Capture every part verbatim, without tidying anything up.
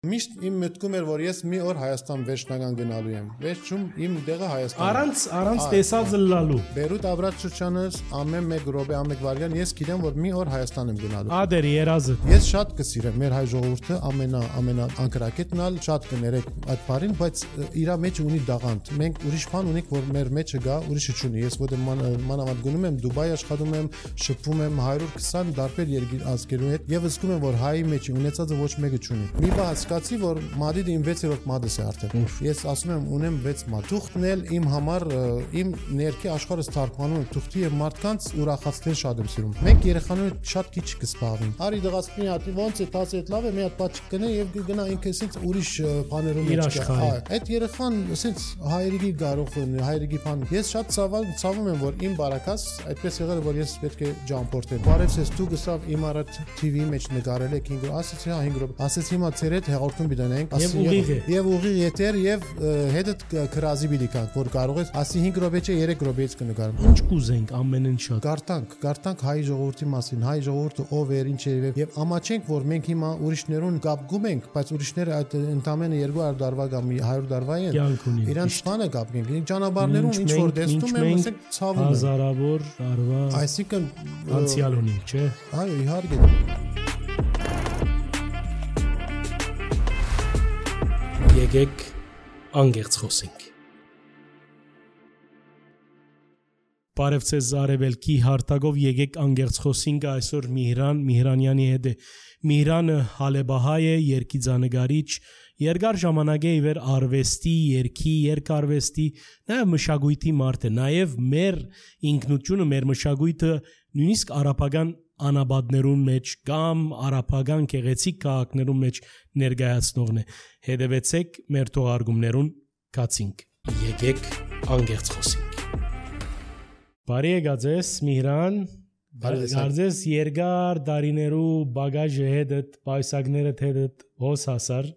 Միշտ իմ մտքում էր, որ ես մի օր Հայաստան վերջնական գնալու եմ։ Վերջում իմ տեղը Հայաստան։ Առանց առանց տեսած լալու։ Բերուտ Աբրած շրջանս ամեն մեկ րոպե, ամեն մեկ վայրկյան ես գիտեմ, որ մի օր Հայաստան եմ գնալու։ Ադեր երազը։ Ես շատ կսիրեմ մեր հայ ժողովուրդը, ամենա ամենա անկրակետն ալ շատ կներեք այդ բառին, բայց իրա մեջ ունի դաղանդ։ Մենք ուրիշ բան ունենք, որ մեր մեջը գա, ուրիշը չունի։ Ես ոդե մանավանդ գնում եմ Դուբայ աշխատում եմ, շփվում եմ one twenty տարբեր երկիր ազգերու հետ եւ զգում եմ, որ հայի մեջ ունեցածը ոչ մեկը չունի։ Մի բան հասկացի, որ Մադրիդը իմ six-րդ մադս է արդեն։ Ես ասում եմ, ունեմ six մադ։ Թուղթն էլ իմ համար իմ ներքի աշխարհը ստարփանում եմ թուղթի եւ մարդկանց ուրախացնել շատ եմ սիրում։ Մենք երեխաները շատ քիչ կսպաղվին։ Արի դղած մի հատ ոնց է, տասը հետ լավ է, մի հատ բաց կնե եւ գնա ինքը ասենց ուրիշ բաներում մեջ կա։ Այդ երեխան ասենց հայրիկի գարող է, հայրիկի բան։ Ես շատ ցավում ցավում եմ, որ իմ բարակաս այդպես եղել է, որ ես պետք է ջամփորտեմ։ Բարև ես դու գսավ իմ առատ T V-ի մեջ նկարել եք ինքը, ասեցի հա five րոպե։ Ասեցի հիմա ծեր հետ հաղորդում բիդանենք, ասի եւ ուղիղ եթեր եւ հետդ քրազի բիդիկանք, որ կարող ես ասի five րոպե չէ three րոպեից կնկարեմ։ Ինչ կուզենք ամենն շատ։ Գարտանք, գարտանք հայ ժողովրդի մասին, հայ ժողովուրդը ով էր, ինչ էր եւ ամաչենք, որ մենք հիմա ուրիշներուն կապգում ենք, բայց ուրիշները այդ ընդամենը two hundred տարվա կամ one hundred տարվա են։ Իրանց բանը կապենք։ Ճանապարհներում ինչ որ տեսնում եմ, ասենք ցավում եմ։ Հազարավոր տարվա։ Այսինքն անցյալ ունենք, չէ։ Այո, իհարկե։ Եկեք անգերց խոսենք։ Բարև ձեզ Արևելքի հարտակով եկեք անգերց խոսենք այսօր Միհրան Միհրանյանի հետ է։ Միհրանը հալեբահայ է, երգիծանագարիչ, երկար ժամանակ է իվեր արվեստի, երգի, երկարվեստի, նաև մշակույթի մարդ է, նաև մեր ինքնությունը, մեր մշակույթը նույնիսկ արաբական անաբադներուն մեջ կամ արաբական գեղեցիկ քաղաքներուն մեջ ներկայացնողն է։ Հետևեցեք մեր թողարկումներուն կացինք։ Եկեք անգերց խոսենք։ Բարի եկած ես Միհրան, գարձես երկար դարիներու բագաժը հետդ, պայսակներդ հետդ հոս հասար,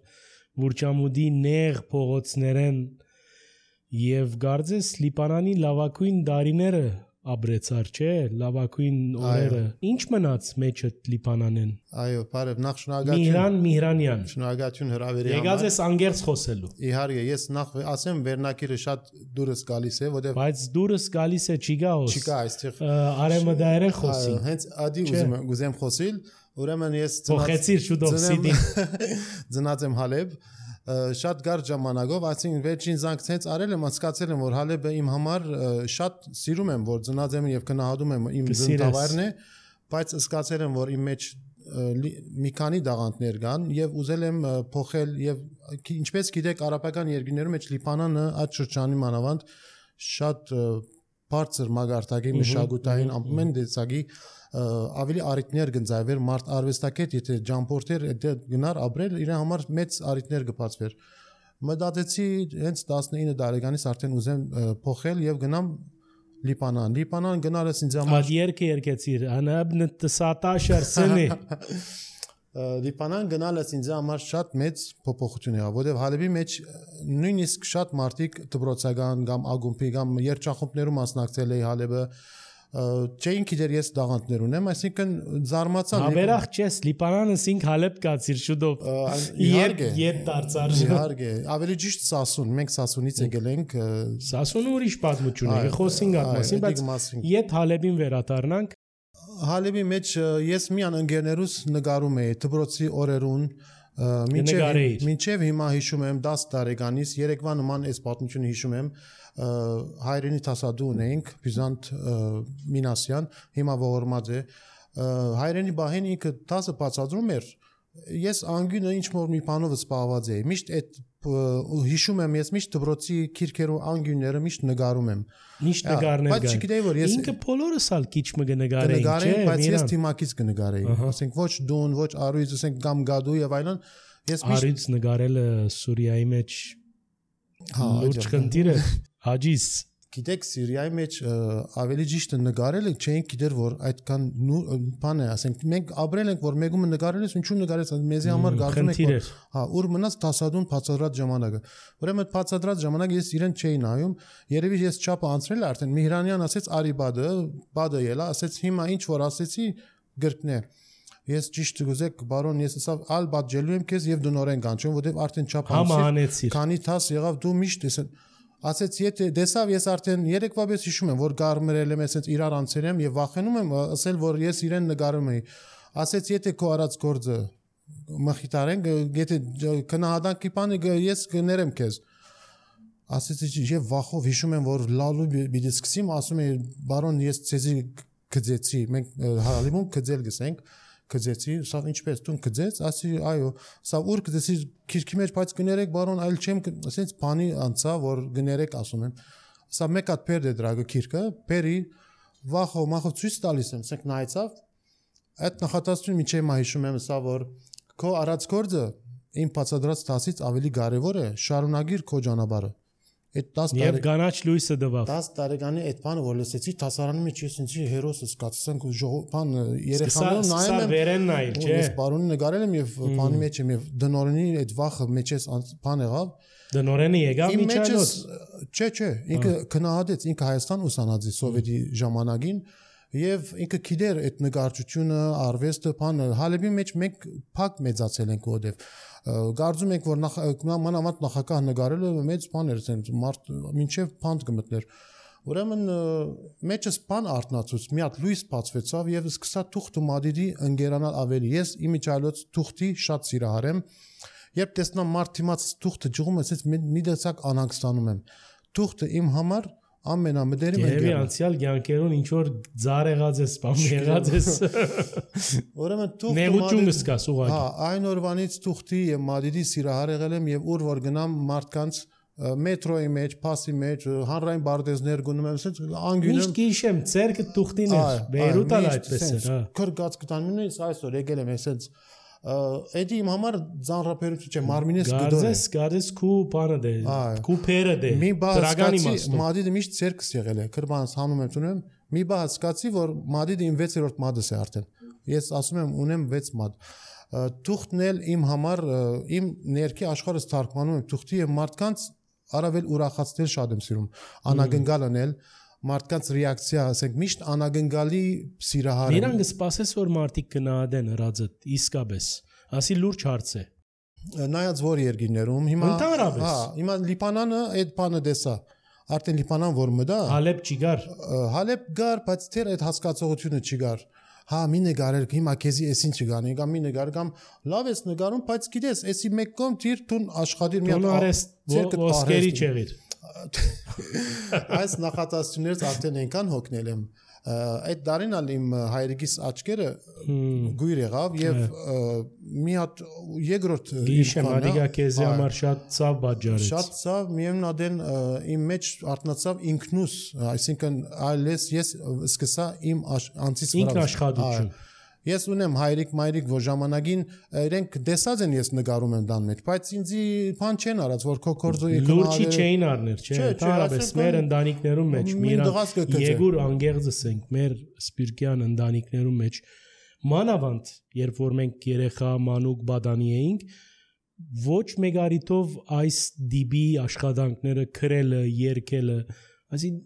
Վուրչամուդի նեղ փողոցներեն եւ գարձես Լիբանանի լավակույն դարիները Աբրեցար չէ, լավակույն օրերը։ Ինչ մնաց մեջդ Լիբանանեն։ Այո, բարև, նախ շնորհակալություն։ Միհրան Միհրանյան։ Շնորհակալություն հրավերի համար։ Եկած ես անգերց խոսելու։ Իհարկե, ես նախ ասեմ վերնակիրը շատ դուրս գալիս է, որտեղ Բայց դուրս գալիս է չգա ոս։ Չկա այստեղ։ Արեմը դայրեն խոսի։ Հենց ադի ուզում ուզեմ խոսիլ, ուրեմն ես Փոխեցիր շուտով սիդի։ Ծնած եմ Հալեբ։ Շատ գարջ ժամանակով, այսինքն վերջին զանգցից արել եմ, հասկացել եմ, որ Հալեբը իմ համար շատ սիրում եմ, որ ծնած եմ եւ գնահատում եմ իմ ծննդավայրն է, բայց հասկացել եմ, որ իմ մեջ մի քանի դաղանդներ կան եւ ուզել եմ փոխել եւ ինչպես գիտեք, արաբական երկրներում մեջ Լիբանանը այդ շրջանի մանավանդ շատ բարձր մագարտակի մշակութային ամեն դեպքի ավելի արիտներ գնձայվեր մարդ արվեստակետ եթե ջամփորտեր գնար ապրել իր համար մեծ արիտներ կբացվեր մտածեցի հենց nineteen տարեկանից արդեն ուզեմ փոխել եւ գնամ Լիբանան Լիբանան գնալս ինձ համար Ադի երկը երկեցիր անաբն տսատաշար սնի Լիբանան գնալս ինձ համար շատ մեծ փոփոխություն եղավ, որովհետև Հալեբի մեջ նույնիսկ շատ մարդիկ դպրոցական կամ ագումբի կամ երգչախումբներում մասնակցել էի Հալեբը չէին գիտեր ես դաղանդներ ունեմ, այսինքն զարմացան Հավերախ չես Լիբանանը ինք Հալեբ կացիր շուտով իհարկե ետ դարձար իհարկե ավելի ճիշտ Սասուն մենք Սասունից եկել ենք Սասունը ուրիշ պատմություն է խոսենք այդ մասին բայց ետ Հալեբին վերադառնանք Հալեբի մեջ ես միան ընկերներուս նկարում էի դպրոցի օրերուն մինչև մինչև հիմա հիշում եմ ten տարեկանից երեկվա նման այս պատմությունը հիշում եմ հայրենի տասադու ունենք Բյուզանտ Մինասյան հիմա ողորմած է հայրենի բահին ինքը տասը բացադրում էր ես անգյունը ինչ որ մի բանով սպառված էի միշտ այդ հիշում եմ ես միշտ դպրոցի քիրքերու անգյունները միշտ նկարում եմ միշտ նկարներ բայց չգիտեի որ ես ինքը բոլորս ալ քիչ մը կնկարեի չէ բայց ես թիմակից կնկարեի ասենք ոչ դուն ոչ արույց ասենք կամ գադու եւ այլն ես միշտ արույց նկարելը Սուրիայի մեջ լուրջ խնդիր է հաջիս Գիտեք Սիրիայի մեջ ավելի ճիշտ նկարել ենք չէինք գիտեր որ այդքան բան է ասենք մենք ապրել ենք որ մեկումը նկարել ես ինչու նկարես մեզի համար գարվում ենք որ հա ուր մնաց տասադուն բացադրած ժամանակը ուրեմն բացադրած ժամանակ ես իրեն չէի նայում երևի ես չափը անցրել արդեն Միհրանյան ասեց արի բադը բադը ելա ասեց հիմա ինչ որ ասեցի գրկնե ես ճիշտ գուզեք բարոն ես ասավ ալ բաժելու եմ քեզ եւ դնորեն կանչում որտեվ արդեն չափ անցիր քանի տաս եղավ դու միշտ ես ասեց եթե դեսավ ես արդեն երեկվա պես հիշում եմ որ գարմրել եմ ասեց իրար անցել եմ եւ վախենում եմ ասել որ ես իրեն նկարում էի ասեց եթե քո արած գործը մխիտարեն եթե կնահատանքի բանը ես կներեմ քեզ ասեցի եւ վախով հիշում եմ որ լալու պիտի սկսեմ ասում եմ բարոն ես ցեզի գծեցի մենք հալիմում գծել գսենք գծեցի սա ինչպես դու գծեց ասի այո սա ուր գծեցի քիրքի մեջ բայց գներեք բարոն այլ չեմ ասենց բանի անցա որ գներեք ասում եմ սա մեկ հատ պերդե դրագը քիրքը պերի վախով մախով ցույց տալիս եմ ասենք նայեցավ այդ նախատեսությունը միջև մա հիշում եմ սա որ քո արած գործը իմ բացադրած տասից ավելի կարևոր է շարունակիր քո ճանապարհը այդ տասը Եվ գանաչ լույսը դվավ տասը տարեկանի այդ բանը որ լսեցի տասարանի մեջ ես ինձի հերոսը սկացանք բան երեխաները նայում եմ վերեն նայել չէ ես բարոնի նկարել եմ եւ բանի մեջ եմ եւ դնորենի այդ վախը մեջես բան եղավ դնորենը եկավ միջանոց չէ չէ ինքը քնահատեց ինքը Հայաստան ուսանածի սովետի ժամանակին եւ ինքը գիտեր այդ նկարչությունը արվեստը բանը հալեբի մեջ մենք փակ մեծացել ենք որտեվ Գարձում ենք որ մանավանդ նախագահ նկարելը մեծ բան էր ասենք մարդ մինչև փանդ կմտներ ուրեմն մեջս բան արտնացուց մի հատ լույս բացվեցավ եւ սկսա թուղթը մադիդի ընկերանալ ավելի ես իմիջալոց թուղթի շատ սիրահար եմ երբ տեսնամ մարդ դիմաց թուղթը ջղում ասեց մի դեցակ անհանգստանում եմ թուղթը իմ համար ամենամդերիմ ընկերն է անցյալ կյանքերուն ինչ որ ծար եղած է սպամ եղած է ուրեմն թուղթը նեղություն կսկաս ուղղակի հա այն օրվանից թուղթի եւ մադիդի սիրահար եղել եմ եւ ուր որ գնամ մարդկանց մետրոյի մեջ փասի մեջ հանրային բարձներ գնում եմ ասած անգյուն միշտ գիշեմ ցերկը թուղթին էր Բեյրութ ալ այդպես էր հա քրգած կտանումից այսօր եկել եմ ասած Էդի իմ համար ծանրապերություն չէ մարմինես գդոր է Գարձես գարձես քու բանը դե քու փերը դե մի բացկացի մադիդը միշտ ցերկս եղել է քրբանս հանում եմ տունում մի բացկացի որ մադիդը իմ վեցերորդ մադս է արդեն ես ասում եմ ունեմ վեց մադ թուղթն էլ իմ համար իմ ներքի աշխարհս թարգմանում եմ թուղթի եւ մարդկանց առավել ուրախացնել շատ եմ սիրում անագնգալ անել մարդկանց ռեակցիա ասենք միշտ անագնգալի սիրահար են Նրանք սպասես որ մարդիկ գնահատեն հրածը իսկապես ասի լուրջ հարց է նայած որ երկիներում հիմա ընդհանրապես հա հիմա Լիբանանը այդ բանը դեսա արդեն Լիբանան որ մտա Հալեբ չի գար Հալեբ գար բայց դեռ այդ հասկացողությունը չի գար հա մի նկարել հիմա քեզի էսին չգանի կամ մի նկար կամ լավ ես նկարում բայց գիտես էսի մեկ կողմ դիր տուն աշխատիր մի հատ ոսկերի չեղիր Այս նախատեսություններից արդեն այնքան հոգնել եմ այդ դարին ալ իմ հայրիկիս աչքերը գույր եղավ եւ մի հատ երկրորդ գիշեմ ադիգա քեզի համար շատ ցավ բաժարեց շատ ցավ միևնույն ադեն իմ մեջ արտնացավ ինքնուս այսինքն այլես ես սկսա իմ անցից վրա ինքնաշխատություն Ես ունեմ հայրիկ մայրիկ որ ժամանակին իրենք դեսած են ես նկարում եմ դան մեջ բայց ինձի բան չեն արած որ քո կորձոյի լուրջի չէին առներ չէ հարաբես մեր ընտանիքներում մեջ միրան Եգուր անգեղձս ենք մեր սպիրկյան ընտանիքներում մեջ մանավանդ երբ որ մենք երեխա մանուկ բադանի էինք ոչ մեկ արիտով այս դիբի աշխատանքները քրելը երկելը ասին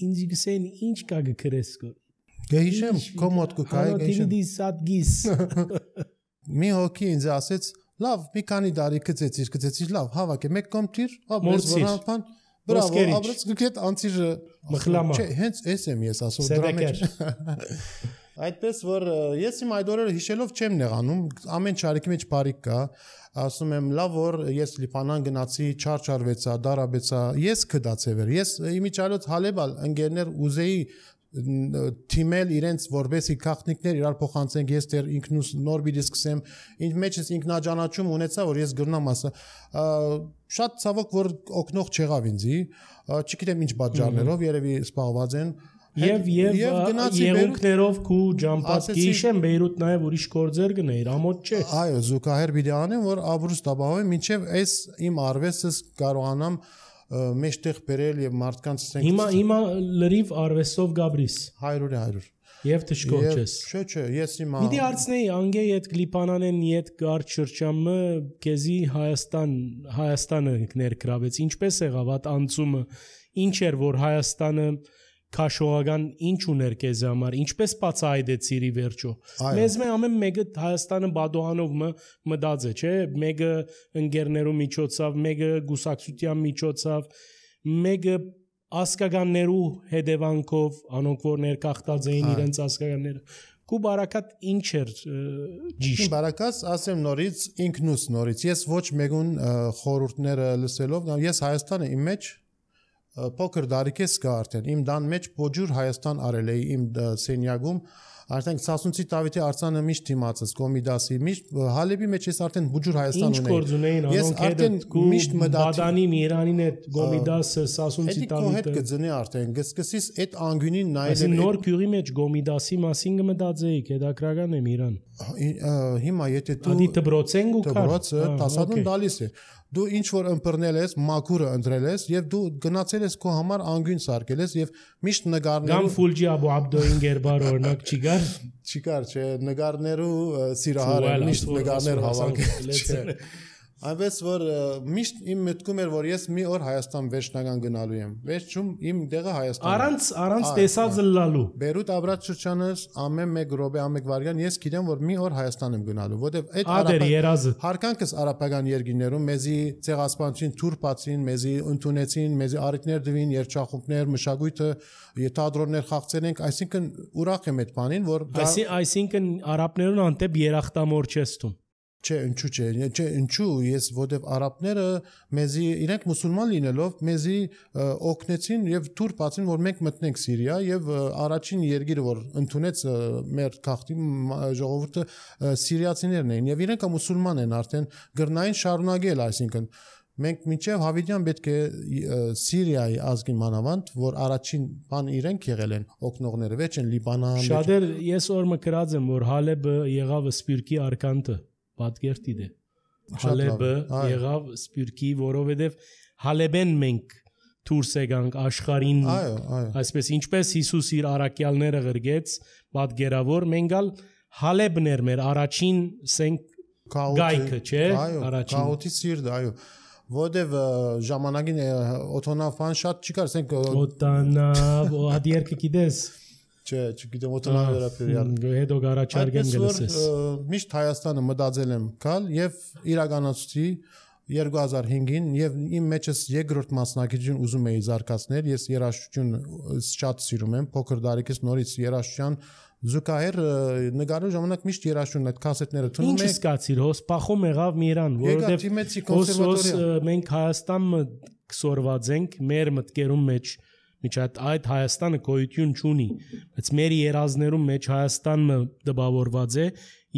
ինձ գսեն ինչ կա գքրես Գեհիշեմ կոմոդ կկայ գեհիշեմ դի սատ գիս Մի հոգի ինձ ասեց լավ մի քանի տարի գծեցիր գծեցիր լավ հավաք է մեկ կողմ տիր ապրես վրանփան բրավո ապրես գետ անցիր մխլամա չէ հենց էս եմ ես ասում դրա մեջ Այդպես որ ես իմ այդ օրերը հիշելով չեմ նեղանում ամեն չարիքի մեջ բարիք կա ասում եմ լավ որ ես Լիբանան գնացի չարչարվեցա դարաբեցա ես կդացեվեր ես իմիջալոց հալեբալ ընկերներ ուզեի թիմել իրենց որբեսի քաղաքնիկներ իրար փոխանցենք ես դեռ ինքնուս նոր բիդի սկսեմ ինձ մեջս ինքնաճանաչում ունեցա որ ես գրնամ ասա շատ ցավոք որ օգնող չեղավ ինձի չգիտեմ ինչ պատճառներով երևի սպառված են Եվ եւ եղունքներով քու ջամփած գիշեմ Բեյրութ նաև ուրիշ գործեր գներ ամոթ չէ Այո զուգահեռ պիտի անեմ որ ապրուս տաբահովեմ մինչև այս իմ արվեստս կարողանամ մեջտեղ բերել եւ մարդկանց ցենք Հիմա հիմա լրիվ արվեստով գաբրիս հարյուրը հարյուր Եվ դժկոչես Չէ չէ ես հիմա Մի դարձնեի անգե իդ Լիբանանեն իդ գար շրջամը քեզի Հայաստան Հայաստանը ներգրավեց ինչպես եղավ այդ անցումը ինչ էր որ Հայաստանը քաշողական ինչ ուներ քեզ համար, ինչպես բացահայտեցիր ի վերջո։ Մեզ մե ամեն մեկը Հայաստանը բադոհանով մտած է, չէ՞, մեկը ընկերներու միջոցով, մեկը գուսակցության միջոցով, մեկը ասկականներու հետևանքով, անոնք որ ներկախտած էին իրենց ասկականները։ Կու բարակատ ինչ էր ճիշտ։ Բարակած ասեմ նորից ինքնուս նորից։ Ես ոչ մեկուն խորհուրդները լսելով, ես Հայաստանը իմ մեջ փոքր դարիքես կա արդեն։ Իմ դան մեջ փոջուր Հայաստան արել էի իմ սենյակում, արդեն Սասունցի Դավիթի արձանը միշտ դիմացս Կոմիդասի միշտ Հալեբի մեջ ես արդեն փոջուր Հայաստան ունեի։ Ինչ գործ ունեին անոնք հետ միշտ Բադանի Միրանին հետ Կոմիդասը Սասունցի Դավիթը։ Այդ կգծնի արդեն գսկսից այդ անգյունին նայել։ Այսինքն նոր քյուրի մեջ Կոմիդասի մասին կմտածեիք, հետաքրական է Միրան։ Հիմա եթե դու Ադի դբրոցեն գուքար։ Դբրոցը տասադուն դալիս է։ Դու ինչ որ ըմբռնել ես, մաքուրը ընտրել ես եւ դու գնացել ես քո համար անգյուն սարքել ես եւ միշտ նկարներու Գամ Ֆուլջի Աբու Աբդոին գերբար օրինակ չկար։ Չկար, չէ, նկարներու սիրահար միշտ նկարներ հավաքել։ Այնպես որ միշտ իմ մտքում էր որ ես մի օր Հայաստան վերջնական գնալու եմ։ Վերջում իմ դեղը Հայաստան։ Առանց առանց տեսած լալու։ Բերութ Աբրատ շրջանս ամեն մեկ րոպե ամեն վարյան ես գիտեմ որ մի օր Հայաստան եմ գնալու, որտեվ այդ Ադեր երազը հարկանքս արաբական երկիներում մեզի ցեղասպանություն թուրքացին, մեզի ընդունեցին, մեզի արիտներ դվին, երջախումբներ, մշակույթը, թատրոններ խաղցել ենք, այսինքն ուրախ եմ այդ բանին, որ այսինքն արաբներուն անտեպ երախտամոր չես տուն։ Չէ, ինչու՞ չէ, չէ, ինչու ես որտեվ արաբները մեզի իրենք մուսուլման լինելով մեզի օգնեցին եւ թուր բացին որ մենք մտնենք Սիրիա եւ առաջին երկիրը որ ընդունեց մեր քաղաքի ժողովուրդը սիրիացիներն էին եւ իրենք մուսուլման են արդեն գրնային շարունակել, այսինքն մենք մինչեւ Հավիդյան պետք է Սիրիայի ազգին մանավանդ որ առաջին բան իրենք եղել են օգնողները, վերջ են Լիբանան։ Շատեր ես որ մկրած եմ որ Հալեբը եղավ Սպյուրքի արկանտը Պատկերտի դե Հալեբը եղավ Սպյուրքի, որովհետև Հալեբեն մենք դուրս եկանք աշխարհին, այսպես ինչպես Հիսուս իր առաքյալները գրգեց, պատկերավոր մենքալ Հալեբն էր մեր առաջին սենք գայքը, չէ՞, առաջին Քաոթի սիրտ, այո, որտև ժամանակին օթոնավան շատ չկար, ասենք օտանավ, ադիերքը գիտես Չէ, չգիտեմ օտանավ վերաբերյալ։ Հետո գարաչարգեն գլսես։ Միշտ Հայաստանը մտածել եմ գալ եւ իրականացուցի երկու հազար հինգին եւ իմ մեջս երկրորդ մասնակցություն ուզում էի զարգացնել, ես երաժշտություն շատ սիրում եմ, փոքր դարիքից նորից երաժշտության զուգահեռ նկարելու ժամանակ միշտ երաժշտություն այդ կասետները թվում է։ Ինչ սկացիր, հոս փախում եղավ Միրան, որովհետեւ մենք Հայաստանը կսորված ենք մեր մտքերում մեջ Միջ այդ Հայաստանը գոյություն չունի, բայց մեր երազներում մեջ Հայաստանը դպավորված է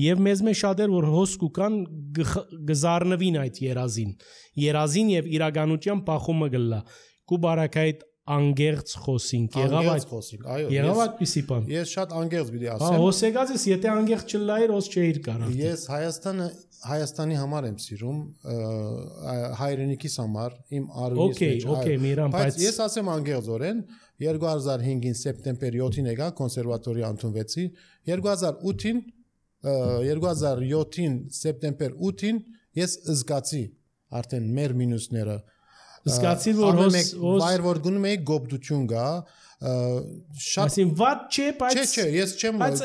եւ մեզ մեջ շատեր որ հոսք ու կան գզառնվին այդ երազին, երազին եւ իրականության փախումը գլա։ Կու բարակայդ անգերց խոսինք, եղավ այդ խոսինք, այո։ Եղավ այդպիսի բան։ Ես շատ անգերց պիտի ասեմ։ Հա, հոսեկած ես, եթե անգերց չլայր, ոս չէիր կարող։ Ես Հայաստանը Հայաստանի համար եմ սիրում, հայրենիքիս համար, իմ արույնից մեջ։ Okay, okay, Միրան, բայց ես ասեմ անգերձորեն, երկու հազար հինգին սեպտեմբերի յոթին եկա կոնսերվատորիա ընդունվեցի, երկու հազար ութին երկու հազար յոթին սեպտեմբեր ութին ես զգացի արդեն մեր մինուսները զգացի որ հոս վայր որ գնում էի գոբդություն գա շատ ասին վատ չէ բայց չէ չէ ես չեմ բայց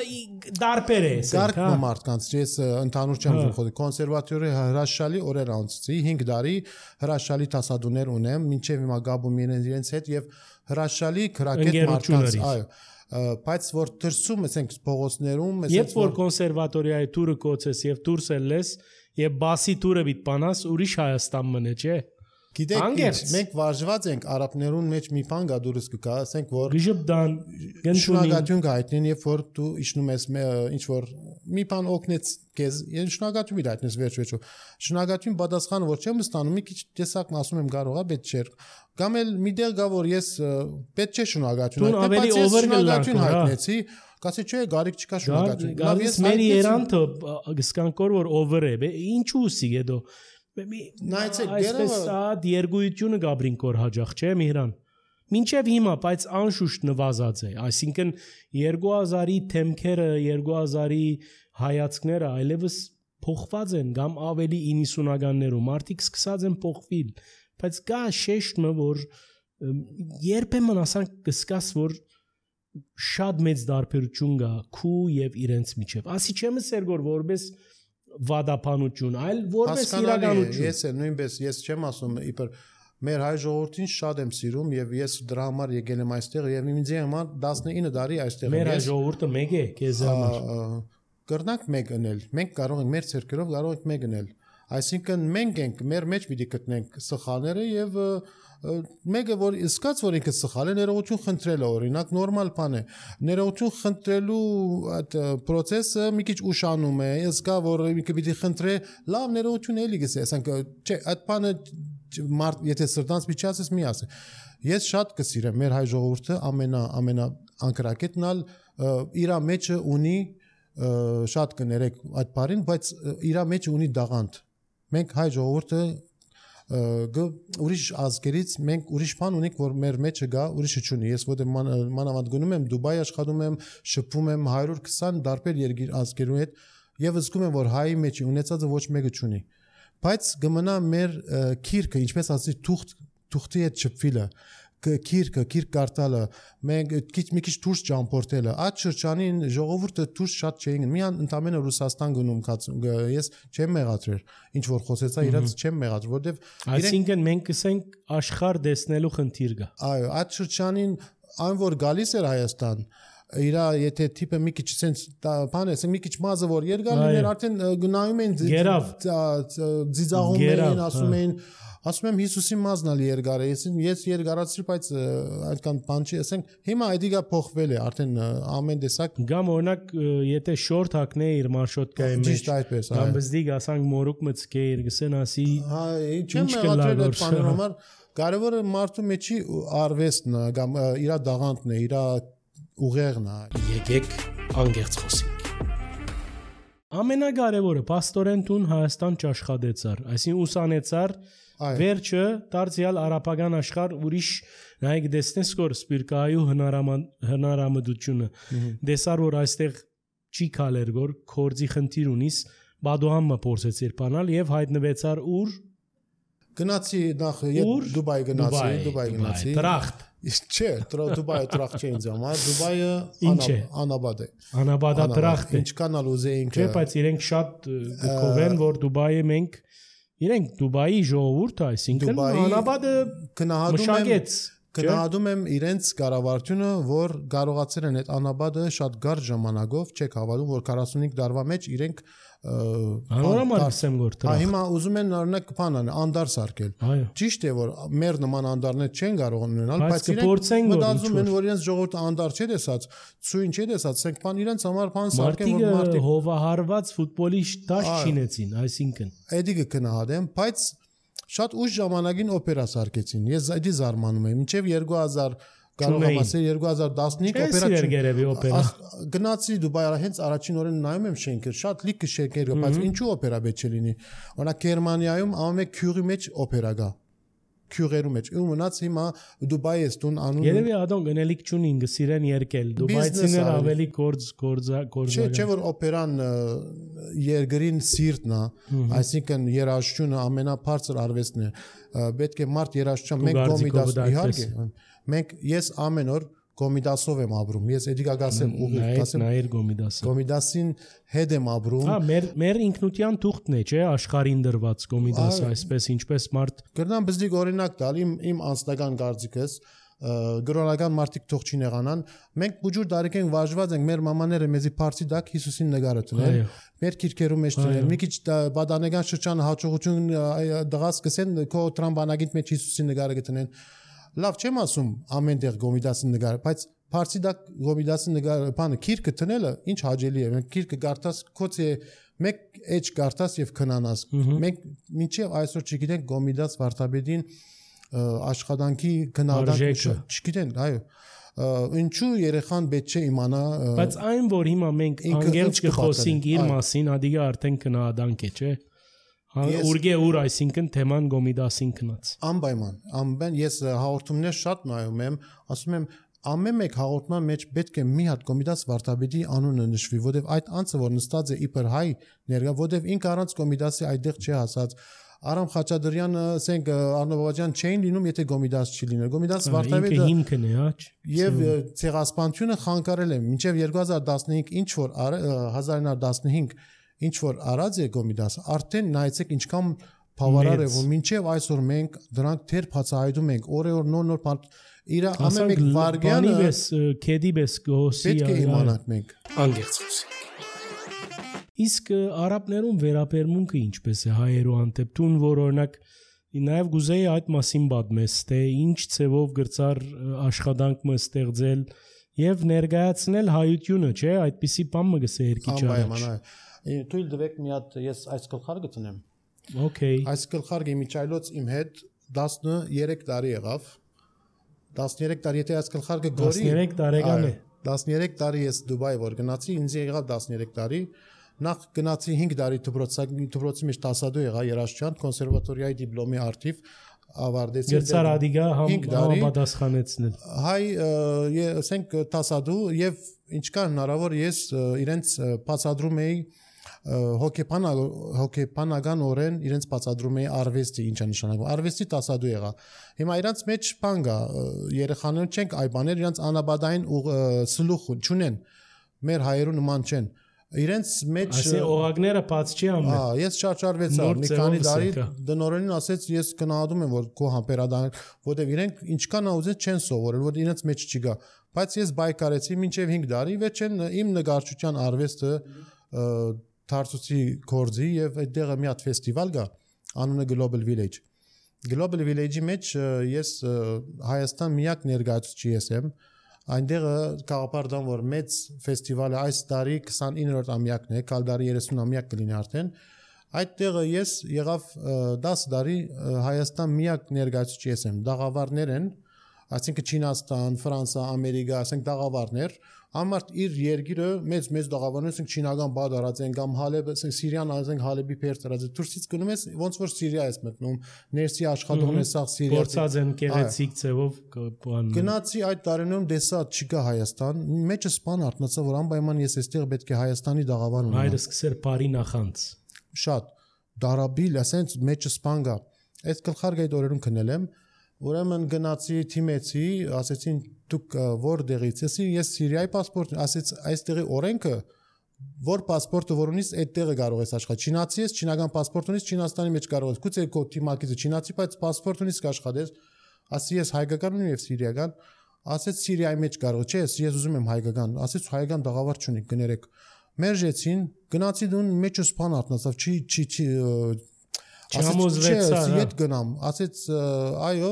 դարբեր է գարկ մարդկանց ես ընդհանուր չեմ խոսում կոնսերվատորի հրաշալի օրեր անցցի հինգ տարի հրաշալի տասադուներ ունեմ մինչև հիմա գաբում իրենց հետ եւ հրաշալի քրակետ մարդկանց այո բայց որ դրսում ասենք փողոցներում երբ որ կոնսերվատորիայի տուրը կոչես եւ դուրս ելես եւ բասի տուրը բիտ բանաս ուրիշ Հայաստան մնե չէ Գիտեք, մենք վարժված ենք արաբներուն մեջ մի բան գա դուրս կգա, ասենք որ Գժբդան, շնորհակալություն գայտնին, երբ որ դու իջնում ես ինչ որ մի բան օգնեց քեզ, ես շնորհակալություն դայտնես վերջ-վերջո։ Շնորհակալություն պատասխանը որ չեմ ստանում, մի քիչ տեսակն ասում եմ կարող է պետք չէ։ Կամ էլ մի դեր գա որ ես պետք չէ շնորհակալություն հայտնել, բայց ես շնորհակալություն հայտնեցի, կասի չէ, գարիկ չկա շնորհակալություն։ Լավ ես մեր երանքը գսկանկոր որ over է, ինչու սի հետո Նայեցեք այսպես այդ երգույթությունը Գաբրինկոր հաջող չէ Միրան մինչև հիմա բայց անշուշտ նվազած է այսինքն երկու հազարի թեմքերը երկու հազարի հայացքները այլևս փոխված են կամ ավելի իննսունականներում մարդիկ սկսած են փոխվել բայց կա շեշտը որ երբեմն ասանք կսկաս որ շատ մեծ դարբերություն կա քու եւ իրենց միջեւ։ Ասի չեմ ասել որ որպես վադապանություն, այլ որպես իրականություն։ Ես էլ նույնպես ես չեմ ասում իբր մեր հայ ժողովրդին շատ եմ սիրում եւ ես դրա համար եկել եմ այստեղ եւ ինձ համար տասնինը տարի այստեղ եմ։ Մեր հայ ժողովուրդը մեկ է քեզ համար։ Կրնանք մեկ ընել։ Մենք կարող ենք մեր ցերկերով կարող ենք մեկ ընել։ Այսինքն մենք ենք մեր մեջ պիտի գտնենք սխալները եւ մեկը որ իսկած որ ինքը սխալ է ներողություն խնդրելը օրինակ նորմալ բան է ներողություն խնդրելու այդ process-ը մի քիչ ուշանում է իսկա որ ինքը պիտի խնդրե լավ ներողություն էլի գսե ասենք չէ այդ բանը մարդ եթե սրտանց միջացես մի ասե ես շատ կսիրեմ մեր հայ ժողովուրդը ամենա ամենա անկրակետնալ իր մեջը ունի շատ կներեք այդ բառին բայց իր մեջը ունի դաղանդ մենք հայ ժողովուրդը ուրիշ ազգերից մենք ուրիշ բան ունենք որ մեր մեջը գա ուրիշը չունի ես ոդե մանավանդ գնում եմ Դուբայ աշխատում եմ շփվում եմ one hundred twenty դարբեր երկիր ազգերու հետ եւ զգում եմ որ հայի մեջի ունեցածը ոչ մեկը չունի բայց գմնա մեր քիրքը ինչպես ասի թուղթ թուղթի հետ շփվելը քիրքը քիրք կարտալը մենք քիչ մի քիչ դուրս ճամփորդելը այդ շրջանին ժողովուրդը դուրս շատ չէին միան ընդամենը Ռուսաստան գնում ես չեմ մեղադրել ինչ որ խոսեցա իրաց չեմ մեղադրել որովհետեւ այսինքն մենք կսենք աշխարհ տեսնելու խնդիր կա այո այդ շրջանին այն որ գալիս էր Հայաստան իրա եթե տիպը մի քիչ sense բան է մի քիչ մազը որ երկար լիներ արդեն գնայում են ձիձաղում էին ասում էին ասում եմ Հիսուսի մազն ալի երկար է ես ես երկարացրի բայց այդքան բան չի ասենք հիմա այդիկա փոխվել է արդեն ամեն տեսակ գամ օրինակ եթե շորտ հակնե իր մարշոտկայի մեջ ճիշտ այդպես այո բզդի ասանք մորուկ մծկե իր գսեն ասի հա չեմ մեղադրել այդ բանը համար կարևորը մարդու մեջի արվեստն է կամ իր դաղանդն է իր ուղեղն է եկեք անգերց խոսենք ամենակարևորը պաստորեն տուն Հայաստան չաշխատեցար այսինքն ուսանեցար վերջը դարձյալ արաբական աշխարհ ուրիշ նայեք դեսնես որ սպիրկայու հնարամդությունը դեսար որ այստեղ չի քալեր որ կորձի խնդիր ունիս բադոհամը փորձեցիր բանալ եւ հայտնվեցար ուր գնացի նախ Դուբայ գնացի Դուբայ գնացի տրախտ չէ Դուբայը տրախտ չէ ինձ համար Դուբայը անաբադ է անաբադա տրախտ է ինչքան ալ ուզեինք չէ բայց իրենք շատ կովեն որ Դուբայը մենք իրենք Դուբայի ժողովուրդը այսինքն անաբադը մշակեց Գնահատում եմ իրենց կառավարությունը, որ կարողացել են այդ անաբադը շատ գար ժամանակով, չեք հավատում, որ քառասունհինգ տարվա մեջ իրենք անորոմար ասեմ որ տրախ։ Հիմա ուզում են օրինակ բան անեն, անդար սարքել։ Ճիշտ է, որ մեր նման անդարներ չեն կարող ունենալ, բայց իրենք մտածում են, որ իրենց ժողովուրդը անդար չէ տեսած, ցույն չէ տեսած, ասենք բան իրենց համար բան սարքեն, որ մարդիկ հովահարված ֆուտբոլի դաշ չինեցին, այսինքն։ Էդիկը գնահատեմ, բայց շատ ուշ ժամանակին օպերա սարքեցին։ Ես այդի զարմանում եմ։ Մինչև երկու հազար կարող եմ ասել երկու հազար տասնհինգ օպերա գնացի Դուբայ, հենց առաջին օրեն նայում եմ շենքը, շատ լիքը շենքեր կա, բայց ինչու օպերա պետք չէ լինի։ Օրինակ Գերմանիայում ամեն քյուրի մեջ օպերա կա։ Քյուրերու մեջ։ Ու մնաց հիմա Դուբայ է ստուն անում։ Երևի ադոն գնելիք չունին, գսիրեն երկել։ Դուբայցիները ավելի գործ գործա գործա։ Չէ, չէ որ օպերան երկրին սիրտն է, այսինքն երաժշտությունը ամենաբարձր արվեստն է։ Պետք է մարդ երաժշտության մենք կոմիդաս իհարկե։ Մենք ես ամեն օր Կոմիդասով եմ ապրում։ Ես էդիկա գասեմ ուղիղ գասեմ։ Նայր Կոմիդասը։ Կոմիդասին հետ եմ ապրում։ Հա, մեր մեր ինքնության թուղթն է, չէ, աշխարհին դրված Կոմիդասը, այսպես ինչպես մարդ։ Կրնամ բզդիկ օրինակ տալ իմ իմ անձնական կարծիքս, գրոնական մարդիկ թող չի նեղանան։ Մենք բուջուր դարիք ենք վարժված ենք, մեր մամաները մեզի փարցի դակ Հիսուսին նկարը տնել։ Մեր քիրքերու մեջ տնել։ Մի քիչ բադանեգան շրջանը հաջողություն դղաս կսեն քո տրամբանագիտ մեջ Հիսուսին նկարը գտնեն։ Լավ չեմ ասում ամեն տեղ Գոմիդասի նկար, բայց Փարսի դա Գոմիդասի նկար, բանը քիրքը տնելը ինչ հաճելի է։ Մենք քիրքը գարտաս քոցե մեկ էջ գարտաս եւ քնանաս։ Մենք մինչեւ այսօր չգիտենք Գոմիդաս Վարդապետին աշխատանքի գնահատակը չգիտեն, այո։ Ինչու երեխան պետք չէ իմանա։ Բայց այն որ հիմա մենք անգերջ կխոսենք իր մասին, ադիգա արդեն գնահատանք է, չէ։ Ուրգե ուր այսինքն թեման Գոմիդասին քնած։ Անպայման, անպայման ես հաղորդումներ շատ նայում եմ, ասում եմ ամեն մեկ հաղորդման մեջ պետք է մի հատ Կոմիդաս Վարդապետի անունը նշվի, որովհետև այդ անձը որ նստած է իբր հայ ներկա, որովհետև ինքը առանց Կոմիդասի այդտեղ չի հասած, Արամ Խաչատրյանը, ասենք Արնո Բաբաջյան չէին լինում, եթե Գոմիդաս չի լիներ։ Գոմիդաս Վարդավետը հիմքն է, հա։ Եվ ցեղասպանությունը խանգարել է մինչև երկու հազար տասնհինգ ինչ որ հազար ինը հարյուր տասնհինգ ինչ որ արած է Գոմիդաս, արդեն նայեցեք ինչքան բավարար է, որ մինչև այսօր մենք դրանք թեր բացահայտում ենք, օրը-օր նոր-նոր իր ամեն մեկ վարգյանը քեդի բես գոսի պետք է իմանանք մենք անգերց խոսենք։ Իսկ արաբներում վերաբերմունքը ինչպես է հայերու հանդեպ տուն, որ օրինակ նաև գուզեի այդ մասին պատմես, թե ինչ ցևով գրծար աշխատանք մը ստեղծել եւ ներկայացնել հայությունը, չէ՞, այդպիսի բան մը գսե երկի ճանաչ։ Թույլ տվեք մի հատ ես այս գլխարկը տնեմ։ Okay։ Այս գլխարկը միջայլոց իմ հետ տասներեք տարի եղավ։ տասներեք տարի, եթե այս գլխարկը գորի տասներեք տարեկան է։ տասներեք տարի ես Դուբայ որ գնացի, ինձ եղավ տասներեք տարի։ Նախ գնացի հինգ տարի դպրոցի մեջ տասադու եղա Երաշչյան կոնսերվատորիայի դիպլոմի արդիվ ավարտեցի։ Գերցար ադիգա համապատասխանեցնել։ Հայ, ասենք տասադու եւ ինչքան հնարավոր ես իրենց բացադրում էի հոկեբան հոկեբանական օրեն իրենց բացադրում էի արվեստի, ինչա նշանակում։ Արվեստի տասադու եղա։ Հիմա իրանց մեջ բան կա, երեխաները չենք այ բաներ, իրանց անաբադային սլուխ չունեն։ Մեր հայերու նման չեն։ Իրենց մեջ ասի օղակները բաց չի անում։ Հա, ես չարչարվեցա, մի քանի տարի դնորենին ասեց, ես գնահատում եմ, որ քո համբերադան, որտեվ իրենք ինչքան ուզեց չեն սովորել, որ իրենց մեջ չգա։ Բայց ես բայկարեցի մինչև հինգ տարի, վերջեն իմ նկարչության արվեստը դարձուցի կորձի եւ այդտեղ մի հատ ֆեստիվալ կա, անունը Global Village։ Global Village-ի մեջ ես Հայաստան միակ ներկայացուցիչ եմ։ Այնտեղ կաղապարդան որ մեծ ֆեստիվալը այս տարի քսանիններորդ ամյակն է, կալ տարի երեսուն ամյակ կլինի արդեն։ Այդտեղ ես եղավ դաս տարի Հայաստան միակ ներկայացուցիչ եմ, դաղավարներ են, այսինքն Չինաստան, Ֆրանսա, Ամերիկա, ասենք դաղավարներ, ամարտ իր երկիրը մեծ մեծ դաղավարներ, ասենք չինական բադ արած են կամ Հալեբ, ասենք Սիրիան, ասենք Հալեբի փերց արած է, դուրսից գնում ես ոնց որ Սիրիա ես մտնում, ներսի աշխատողն է սաղ Սիրիա։ Փորձած են գեղեցիկ ձևով բան։ Գնացի այդ տարիներում դեսա չկա Հայաստան, մեջը սպան արտնացա որ անպայման ես այստեղ պետք է Հայաստանի դաղավար ունենամ։ Հայրս սկսեր բարի նախանց։ Շատ դարաբիլ, ասենց մեջը սպան գա։ Այդ գլխարկը այդ օրերում քնել եմ, ուրեմն գնացի թիմեցի, ասեցին դուք որտեղից ես, ես Սիրիայի паспорт, ասեց այստեղի օրենքը, որ паспорտը որ ունիս, այդտեղը կարող ես աշխատել։ Չինացի ես, չինական паспорт ունիս, Չինաստանի մեջ կարող ես։ Գուցե քո թիմակիցը չինացի, բայց паспорт ունիս կաշխատես։ Ասի ես հայկական ունեմ եւ սիրիական, ասեց Սիրիայի մեջ կարող չէ, ես ուզում եմ հայկական, ասեց հայկական դաղավար չունի, գներեք։ Մերժեցին, գնացի դուն մեջը սպան արտնացավ, չի չի չի Չհամոզվեցա, իդ գնամ, ասեց այո,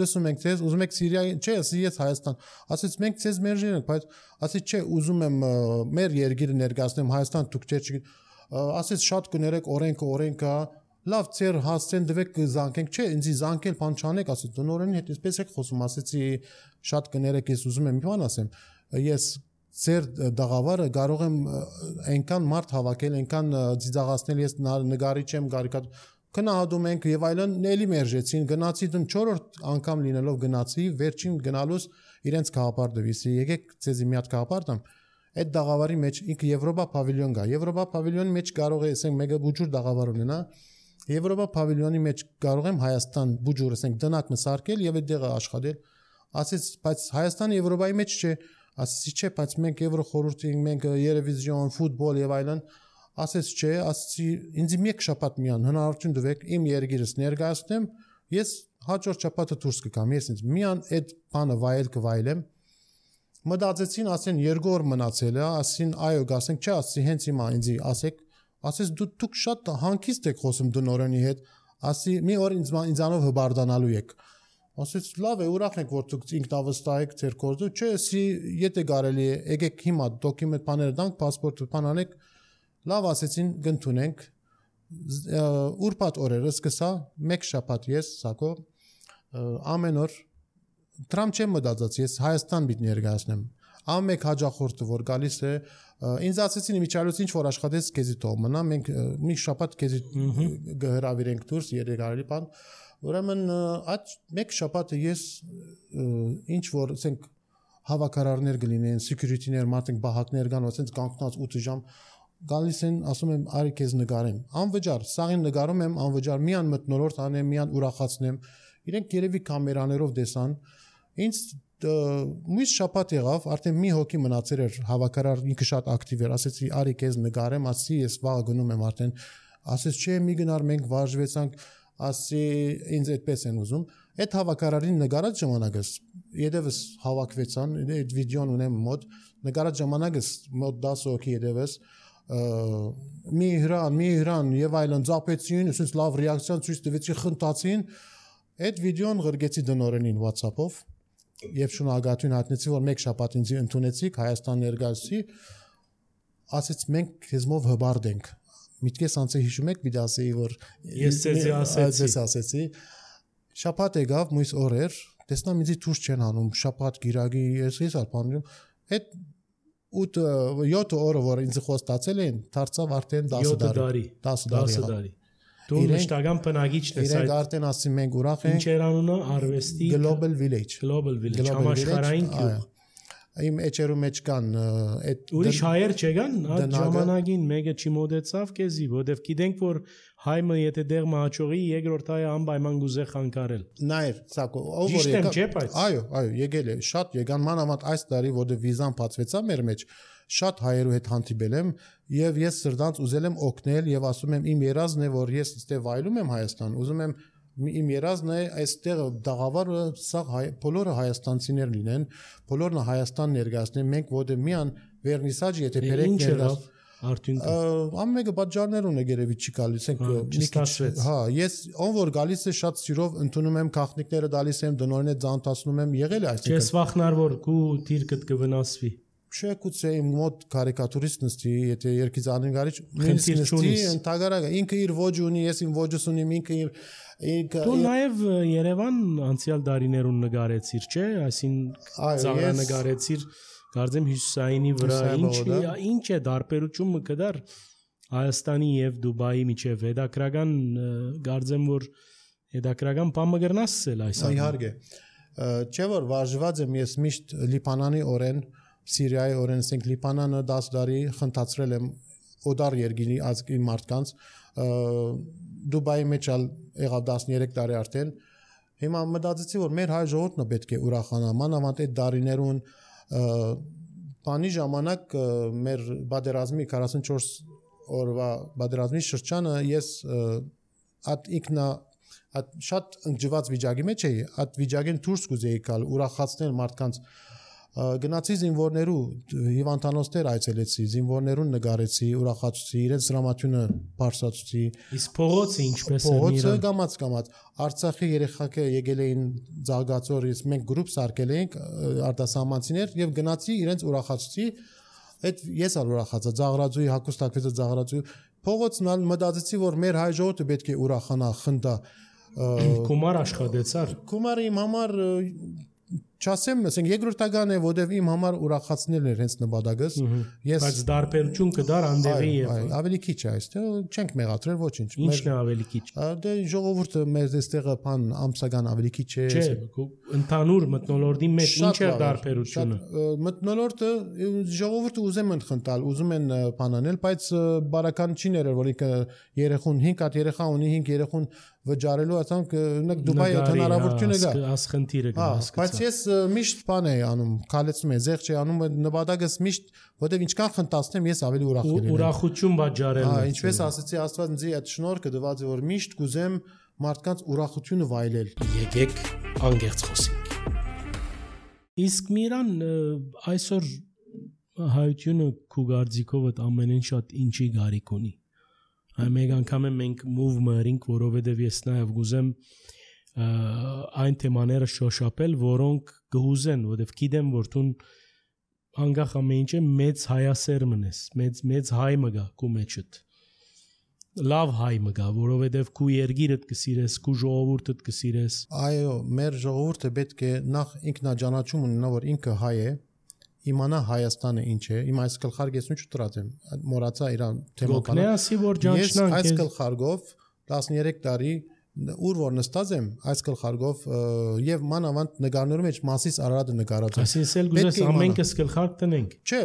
լսում ենք ձեզ, ուզում եք Սիրիայի, չէ, ես Հայաստան, ասեց մենք ձեզ մերժել ենք, բայց ասեց չէ, ուզում եմ մեր երկիրը ներկայացնեմ Հայաստան, դուք չէ, ասեց շատ կներեք օրենքը, օրենքը, լավ, ծեր հասցեն դվեք զանգենք, չէ, ինձ զանգել բան չանեք, ասեց դնորենին հետ այսպես եք խոսում, ասեցի շատ կներեք, ես ուզում եմ մի բան ասեմ, ես ծեր դաղավարը կարող եմ այնքան մարդ հավաքել, այնքան ծիծաղացնել, ես նկարիչ եմ, կարիկատուր գնահատում ենք եւ այլն էլի մերժեցին գնացի դու չորրորդ անգամ լինելով գնացի վերջին գնալուց իրենց գաղափար դվիսի եկեք ցեզի մի հատ գաղափար տամ այդ դաղավարի մեջ ինքը Եվրոպա պավիլիոն կա Եվրոպա պավիլիոնի մեջ կարող է ասենք մեգա բուջուր դաղավար ունենա Եվրոպա պավիլիոնի մեջ կարող եմ Հայաստան բուջուր ասենք դնակը սարքել եւ այդտեղ աշխատել ասեց բայց Հայաստանը Եվրոպայի մեջ չէ ասեցի չէ բայց մենք Եվրո խորհրդի մենք Երևիզիոն ֆուտբոլ եւ այլն ասեց չէ, ասեցի ինձ մեկ շաբաթ միան հնարավորություն տվեք իմ երկիրս ներկայացնեմ, ես հաջորդ շաբաթը դուրս կգամ, ես ինձ միան այդ բանը վայել կվայելեմ։ Մտածեցին, ասեն երկու օր մնացել է, ասին այո, ասենք չէ, ասեցի հենց հիմա ինձ ասեք, ասես դու դուք շատ հանգիստ եք խոսում դնորենի հետ, ասի մի օր ինձ ինձանով հբարդանալու եք։ Ասեց լավ է, ուրախ ենք որ դուք ինքնավստահ եք ձեր կորձը, չէ, ասի եթե կարելի է, եկեք հիմա դոկումենտ բաները տանք, паспорт բան անեք Լավ ասեցին գնթունենք ուրբաթ օրերը սկսա մեկ շաբաթ ես սակո ամեն օր Տրամփ չեմ մտածած ես Հայաստան պիտի ներկայացնեմ ամեն հաջախորդը որ գալիս է ինձ ասեցին իմիջալուց ինչ որ աշխատես քեզի թող մնա մենք մի շաբաթ քեզի գհրավիրենք դուրս երեք արելի բան ուրեմն այդ մեկ շաբաթը ես ինչ որ ասենք հավաքարարներ գլինեն security-ներ մարդիկ բահակներ կան ասենց կանգնած ութ ժամ գալիս են, ասում եմ, արի քեզ նկարեմ։ Անվճար, սաղին նկարում եմ, անվճար միան մթնոլորտ անեմ, միան ուրախացնեմ։ Իրենք երևի կամերաներով տեսան։ Ինձ մյուս շաբաթ եղավ, արդեն մի հոգի մնացել էր հավաքարար, ինքը շատ ակտիվ էր, ասեցի արի քեզ նկարեմ, ասի ես վաղը գնում եմ արդեն, ասեց չէ մի գնար մենք վարժվեցանք, ասի ինձ այդպես են ուզում, այդ հավաքարարին նկարած ժամանակս, յետևս հավաքվեցան, այդ վիդեոն ունեմ մոտ, նկարած ժամանակս մոտ դասը հոգի յետևս, մի հրան, մի հրան եւ այլն ծափեցին, ասես լավ ռեակցիա ցույց տվեցի, խնդացին, այդ վիդեոն գրգեցի դնորենին WhatsApp-ով Եվ շնորհակալություն հայտնեցի, որ մեկ շաբաթ ինձ ընդունեցիք Հայաստան ներկայացի, ասեց մենք քեզմով հբարդ ենք։ Միտքես անցե հիշում եք, մի դասեի, որ ես ցեզի ասեցի, ասեցի։ Շաբաթ եկավ, մյուս օրեր, տեսնամ ինձ դուրս չեն անում, շաբաթ գիրագի, ես ես արփանում, այդ ութ յոթ օրը որ ինձ խոստացել են, դարձավ արդեն դասը տարի, դասը տարի։ Դու մշտական բնակիչն ես այդ։ Իրենք արդեն ասում մենք ուրախ ենք։ Ինչ էր անունը արվեստի Global Village։ Global Village, համաշխարհային գյուղ։ Իմ էջերու մեջ կան այդ ուրիշ հայեր չեկան, այդ ժամանակին մեկը չմոդեցավ քեզի, որովհետև գիտենք որ հայը եթե դեղ մահաճողի երկրորդ հայը անպայման գուզե խանգարել։ Նայր, սակո ով որ եկա։ Այո, այո, եկել է, շատ եկան մանավանդ այս տարի, որովհետև վիզան բացվեցա մեր մեջ։ Շատ հայերու հետ հանդիպել եմ եւ ես սրտանց ուզել եմ օգնել եւ ասում եմ իմ երազն է որ ես այստեղ վայելում եմ Հայաստան ուզում եմ իմ երազն է այստեղ դաղավարը սա բոլորը հայաստանցիներ լինեն բոլորն Հայաստան ներկայացնեն մենք որտեղ միան վերնիսաժ եթե բերեք ներկայաց արդյունքը ամենը պատճառներ ունի երևի չի գալիս ենք հա ես ով որ գալիս է շատ սիրով ընդունում եմ քաղաքնիկները դալիս եմ դնորենը ձանտացնում եմ եղել է այսինքն չես վախնար որ քու դիրքդ կվնասվի Չէ, գուցե իմ մոտ կարիկատուրիստ նստի, եթե երկիծանին գարիչ նստի, ընդհանրապես ինքը իր ոճ ունի, ես իմ ոճս ունիմ, ինքը իր ինքը Դու նաև Երևան անցյալ դարիներուն նկարեցիր, չէ՞, այսինքն ծաղրա նկարեցիր, կարծեմ Հյուսիսայինի վրա, ինչ ինչ է դարբերությունը կդար Հայաստանի եւ Դուբայի միջև հետաքրական կարծեմ որ հետաքրական բան մգրնասել այս իհարկե չէ որ վարժված եմ ես միշտ Լիբանանի օրեն Սիրիայի օրեն ասենք Լիբանանը դաս տարի խնդացրել եմ օդար երկրի ազգի մարդկանց Դուբայի մեջ եղավ տասներեք տարի արդեն հիմա մտածեցի որ մեր հայ ժողովուրդն պետք է ուրախանա մանավանդ այդ դարիներուն բանի ժամանակ մեր բادرազմի քառասունչորս օրվա բادرազմի շրջանը ես at ինքնա at շատ ընկճված վիճակի մեջ էի at վիճակին դուրս կուզեի գալ ուրախացնել մարդկանց Գնացի զինվորներու հիվանդանոցներ այցելեցի, զինվորներուն նկարեցի, ուրախացուցի, իրենց դրամատյունը բարձրացուցի։ Իսկ փողոցը ինչպես է Փողոցը գամած գամած։ Արցախի երեխաքը եկել էին Զարգացորից, մենք գրուպ սարքել էինք արտասահմանցիներ եւ գնացի իրենց ուրախացուցի։ Այդ ես ալ ուրախացա, Զաղրաձուի հակոստակվեցը Զաղրաձուի փողոցն ալ մտածեցի, որ մեր հայ ժողովուրդը պետք է ուրախանա, խնդա։ Կումար աշխատեցար։ Կումարը իմ համար Չասեմ, ասենք երկրորդական է, որտեվ իմ համար ուրախացնել էր հենց նպատակս։ Ես բայց դարբերություն կդար անդեղի եւ ավելի քիչ է այստեղ, չենք մեղադրել ոչինչ։ Ինչն է ավելի քիչ։ Դե ժողովուրդը մեր այստեղը բան ամսական ավելի քիչ է։ Չէ, ընդհանուր մթնոլորտի մեջ ինչ է դարբերությունը։ Մթնոլորտը ժողովուրդը ուզում են խնդալ, ուզում են բանանել, բայց բարական չի ներել, որ ինքը երեխուն հինգ հատ երեխա ունի, հինգ երեխուն վճարելու ասանք նկ Դուբայի հնարավորությունը կա։ Ասխնդիրը կա, հասկացա։ Բայց ես միշտ բան եմ անում, քալեցնում եմ, զեղ չի անում, նպատակս միշտ, որտեվ ինչքան խնդացնեմ, ես ավելի ուրախ կլինեմ։ Ուրախություն բաժարել։ Հա, ինչպես ասացի, Աստված ինձ այդ շնորհքը տված է, որ միշտ կուզեմ մարդկանց ուրախությունը վայելել։ Եկեք անգերց խոսենք։ Իսկ Միրան այսօր հայությունը քու գարձիկովդ ամենեն շատ ինչի գարիք ունի։ Մեկ անգամ մենք move-ը երինք, որովհետև ես նաև գուզեմ այն թեմաները շոշափել, որոնք գուզեն, որովհետև գիտեմ, որ դու անգախ ամեն ինչը մեծ հայասեր մնես, մեծ մեծ հայ մգա քու մեջդ։ Լավ հայ մգա, որովհետև քու երգիրդ կսիրես, քու ժողովուրդդ կսիրես։ Այո, մեր ժողովուրդը պետք է նախ ինքնաջանաչում ունենա, որ ինքը հայ է։ Իմանա Հայաստանը ինչ է, իմ այս գլխարկը ես ինչ ուտրած եմ, մոռացա իրան թեմականը։ Գոքնեասի որ ջանչնանք։ Ես այս գլխարկով տասներեք տարի ուր որ նստած եմ այս գլխարկով եւ մանավանդ նկարներում մեջ մասից Արարատը նկարած է։ Այսինքն գուզես ամենքս գլխարկ տնենք։ Չէ,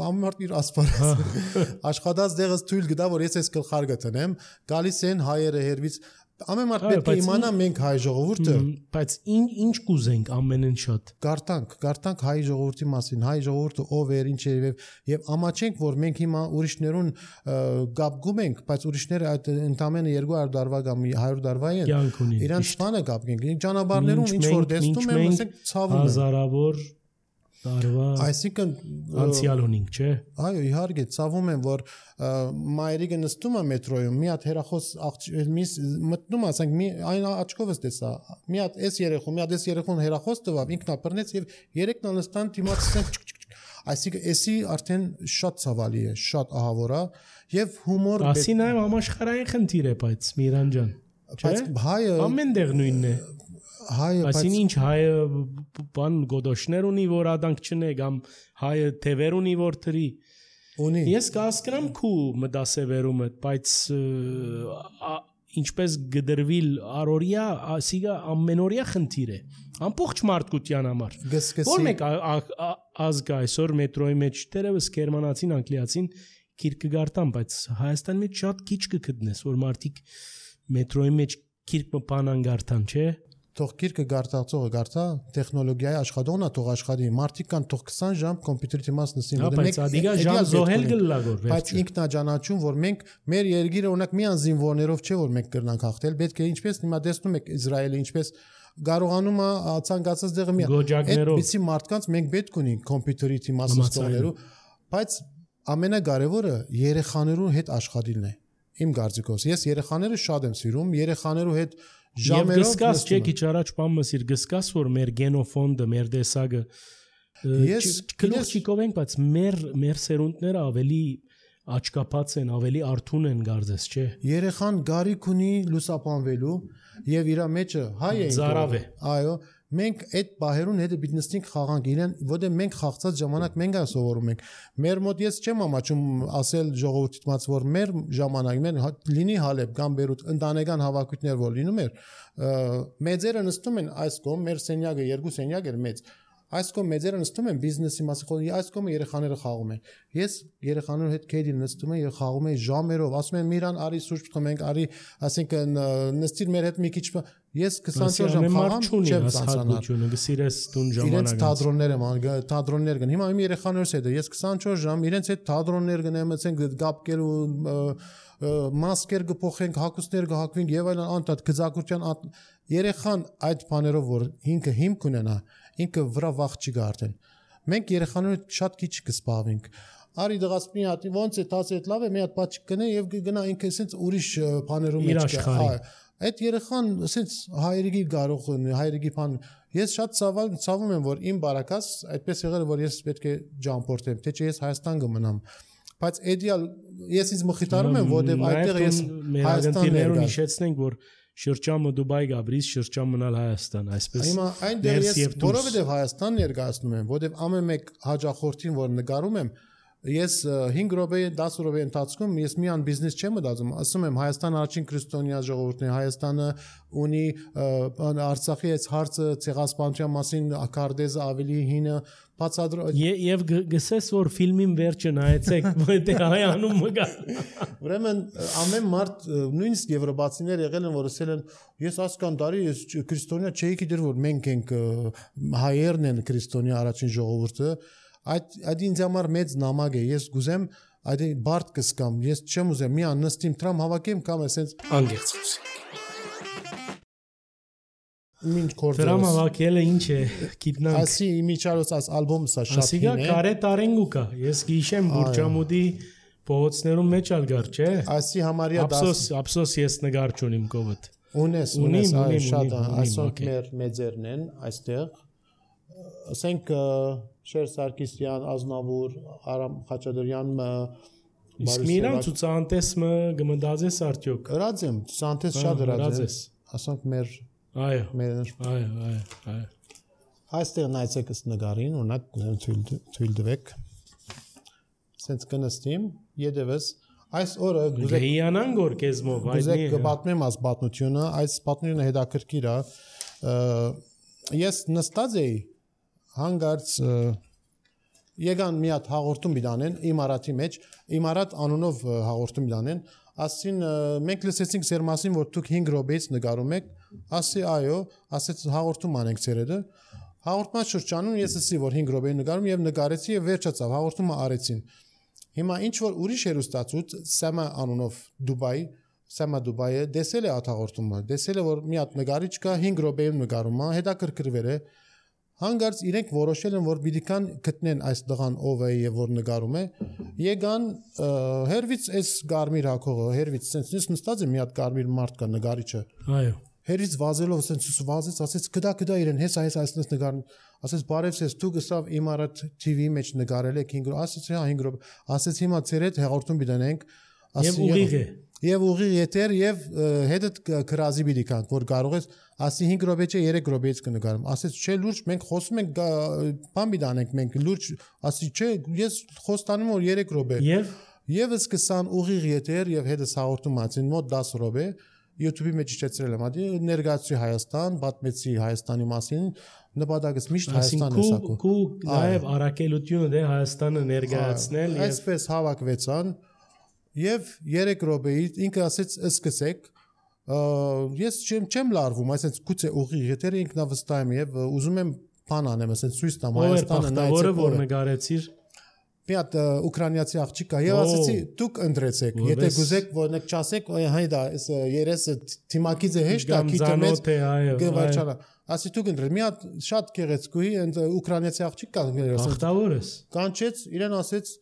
ամենուրդ իր ասպարեզ աշխատած դեղս թույլ գտա որ ես այս գլխարկը տնեմ, գալիս են հայերը հերվից ամեն մարդ պետք է իմանա մենք հայ ժողովուրդը, բայց ինչ կուզենք ամենեն շատ։ Գարտանք, գարտանք հայ ժողովրդի մասին, հայ ժողովուրդը ով էր, ինչ էր եւ ամաչենք որ մենք հիմա ուրիշներուն գապգում ենք, բայց ուրիշները այդ ընդամենը երկու հարյուր դարվա կամ հարյուր դարվա են։ Իրանց բանը գապենք։ Ճանապարհներում ինչ որ տեսնում եմ, ասենք ցավում են։ Հազարավոր տարվա Այսինքն անցյալ ունենք, չէ։ Այո, իհարկե, ցավում եմ, որ մայրիկը նստում է մետրոյում, մի հատ հերախոս միս մտնում, ասենք, մի այն աչքովս տեսա, մի հատ էս երեխու, մի հատ էս երեխուն հերախոս տվավ, ինքն ապռնեց եւ երեքն նստան դիմացին այսինքն էսի արդեն շատ ցավալի է, շատ ահավոր է եւ հումոր Ասի նաեւ համաշխարհային խնդիր է, բայց Միրան ջան, բայց հայը ամեն տեղ նույնն է։ Հայը Այսինքն ինչ հայը բան գոդոշներ ունի որ ադանք չնե կամ հայը թևեր ունի որ թրի ունի Ես կհասկանամ քու մտասևերումը բայց ինչպես գդրվիլ առօրյա ասիգա ամենօրյա խնդիր է ամբողջ մարդկության համար որ մեկ ազգ այսօր մետրոյի մեջ դերևս գերմանացին անգլիացին քիրքը գարտան բայց Հայաստանի մեջ շատ քիչ կգտնես որ մարդիկ մետրոյի մեջ քիրքը բանան գարտան չէ Թող քիրքը գարտացողը գարտա, տեխնոլոգիայի աշխատողն է թող աշխատի, մարդիկ կան թող քսան ժամ կոմպյուտերի դիմաց նստին, որ մենք ադիգա ժամ զոհել գլլագոր վերջ։ Բայց ինքնաճանաչում, որ մենք մեր երկիրը օրինակ միան զինվորներով չէ որ մենք կրնանք հաղթել, պետք է ինչպես հիմա տեսնում եք Իսրայելը ինչպես կարողանում է ցանկացած դեղը մի այդ բիցի մարդկանց մենք պետք ունենք կոմպյուտերի դիմաց նստողներու, բայց ամենակարևորը երեխաներու հետ աշխատելն է։ Իմ կարծիքով ես երեխաները շատ եմ սիրում, երեխաներու հետ ժամերով գսկաս չէ քիչ առաջ բամս իր գսկաս որ մեր գենոֆոնդը մեր դեսագը ես քլոչիկով ենք բայց մեր մեր սերունդները ավելի աչկապած են ավելի արթուն են գարձես չէ երեխան գարիք ունի լուսապանվելու եւ իր մեջը հայ է զարավ է այո մենք այդ բահերուն հետը պիտի նստենք խաղանք իրեն որտեղ մենք խաղացած ժամանակ մենք ա սովորում ենք մեր մոտ ես չեմ ամաչում ասել ժողովրդից մաց որ մեր ժամանակ մեր լինի Հալեբ կամ Բեյրութ ընտանեկան հավաքույթներ որ լինում էր մեծերը նստում են այս կողմ մեր սենյակը երկու սենյակ էր մեծ այս կողմ մեծերը նստում են բիզնեսի մասը այս կողմը երեխաները խաղում են ես երեխաների հետ քեդի նստում եմ եւ խաղում եմ ժամերով ասում եմ Միրան արի սուրճ խմենք արի ասենք նստիր մեր հետ մի քիչ ես քսանչորս ժամ խաղամ չեմ ցանցանալ գսիրես տուն ժամանակ իրենց թատրոններ եմ թատրոններ գն հիմա իմ երեխաներս հետ ես քսանչորս ժամ իրենց հետ թատրոններ գնեմ ասենք գապկելու մասկեր կփոխենք հակուսներ կհակվենք եւ այլն անտատ գծակուրության երեխան այդ բաներով որ ինքը հիմք ունենա ինքը վրա վախ չի գարտեն մենք երեխաները շատ քիչ կսպավենք արի դղաս մի հատ ոնց է տաս այդ լավ է մի հատ բաց կնե եւ գնա ինքը ասենց ուրիշ բաներում մեջ կա այդ երեխան ասենց հայրիկի կարող հայրիկի բան ես շատ ցավում ցավում եմ որ իմ բարակաս այդպես եղել որ ես պետք է ջամփորտեմ թե չէ ես Հայաստան կմնամ բայց իդեալ ես ինձ մխիթարում եմ որտեվ այդտեղ ես Հայաստաններուն հիշեցնենք որ շրջանը Դուբայ գաբրիս շրջան մնալ Հայաստան այսպես հիմա այնտեղ ես որովհետեւ Հայաստան ներկայացնում եմ որտեւ ամեն մեկ հաջախորդին որ նկարում եմ ես հինգ րոպե դաս րոպե ընթացքում ես միան բիզնես չեմ մտածում ասում եմ Հայաստան առաջին քրիստոնյա ժողովուրդն է Հայաստանը ունի Արցախի այս հարցը ցեղասպանության մասին ակարդեզը ավելի հինը բացադրո եւ գսես որ ֆիլմին վերջը նայեցեք որտեղ հայանում մգա ուրեմն ամեն մարդ նույնիսկ եվրոպացիներ եղել են որ ասել են ես ասկան տարի ես քրիստոնյա չէի գիտեր որ մենք ենք հայերն են քրիստոնյա առաջին ժողովուրդը այդ այդ ինձ համար մեծ նամակ է ես գուզեմ այդ բարդ կսկամ ես չեմ ուզեմ մի անստիմ տրամ հավաքեմ կամ ասենց անգերց խոսենք Ինչ կորձ Տրամ հավաքելը ինչ է գիտնանք Ասի իմիջարոց աս ալբոմը սա շատ հին է Ասիգա կարե տարենգուկա ես գիշեմ Բուրջամուդի փողոցներում մեջ ալգար չէ Ասի համարյա Ափսոս ափսոս ես նկար չունիմ կովդ Ունես ունես այ շատ այսօր մեր մեծերն են այստեղ ասենք Շեր Սարգսյան Ազնավուր Արամ Խաչատրյան Իսկ միրան ցուցանտեսը գմդազես արդյոք Հրաձեմ ցուցանտես շատ հրաձես ասենք մեր Այո մեր այո այո այո Այստեղ նայեցեք ըստ նկարին օրինակ թույլ թույլ տվեք Սենց կնստիմ յետևս Այս օրը գուզեք Գեյանան գոր կեզմով գուզեք կպատմեմ այս պատմությունը, այս պատմությունը հետաքրքիր է։ Ես նստած էի հանգարց եկան մի հատ հաղորդում բիդանեն Իմարատի մեջ, Իմարատ անունով հաղորդում բիդանեն, ասին մենք լսեցինք ձեր մասին, որ դուք հինգ րոպեից նկարում եք, ասի այո, ասեց հաղորդում անենք ցերեդը։ Հաղորդման շրջանում ես ասի, որ հինգ րոպե նկարում եւ նկարեցի եւ վերջացավ, հաղորդումը արեցին։ Հիմա ինչ որ ուրիշ հերոստացուց Սամա անունով Դուբայի, Սամա Դուբայը դեսել է հաղորդումը, դեսել է որ մի հատ նկարիչ կա հինգ րոպեում նկարում է, հետաքրքրվել է։ Հանգարց իրենք որոշել են, որ պիտի կան գտնեն այս դղան ով է եւ որ նկարում է։ Եկան հերվից այս գարմիր հակողը, հերվից sense նստած է մի հատ գարմիր մարդ կա նկարիչը։ Այո։ Հերից վազելով sense վազեց, ասեց կդա կդա իրեն, հեսա հեսա այսպես նկարն, ասեց բարևս դու գսավ Իմարատ T V մեջ նկարել եք հինգ րոպե, ասեց հա հինգ րոպե, ասեց հիմա ծեր հետ հաղորդում բիդանենք, Եվ ուղիղ է։ Եվ ուղիղ եթեր եւ հետդ քրազի բիդի կանք, որ կարող ես ասի հինգ րոպե չէ երեք րոպեից կնկարեմ, ասեց չէ լուրջ մենք խոսում ենք բան բիդանենք մենք լուրջ, ասի չէ ես խոստանում որ երեք րոպե։ Եվ Եվ սկսան ուղիղ եթեր եւ հետս հաղորդում ացին մոտ դաս րոպե YouTube-ի մեջ իջեցրել եմ, ադի ներկայացի Հայաստան, պատմեցի Հայաստանի մասին, նպատակս միշտ Հայաստանն է սակո։ Քու նաև առաքելությունը դե Հայաստանը ներկայացնել եւ այսպես հավաքվեցան եւ երեք րոպեից ինքը ասեց սկսեք, ես չեմ չեմ լարվում, այսինքն գուցե ուղիղ եթերը ինքնավստահ եմ եւ ուզում եմ բան անեմ, այսինքն ցույց տամ Հայաստանը նայեցեք, որ նկարեցիր մի հատ ուկրաինացի աղջիկ կա եւ ասեցի դուք ընտրեցեք եթե գուզեք որ նեք չասեք հայդա երեսը թիմակից է հեշտ է քիչ մեծ գվարչանա ասի դուք ընտրեք մի հատ շատ գեղեցկուի ուկրաինացի աղջիկ կա ախտավորս կանչեց իրեն ասեց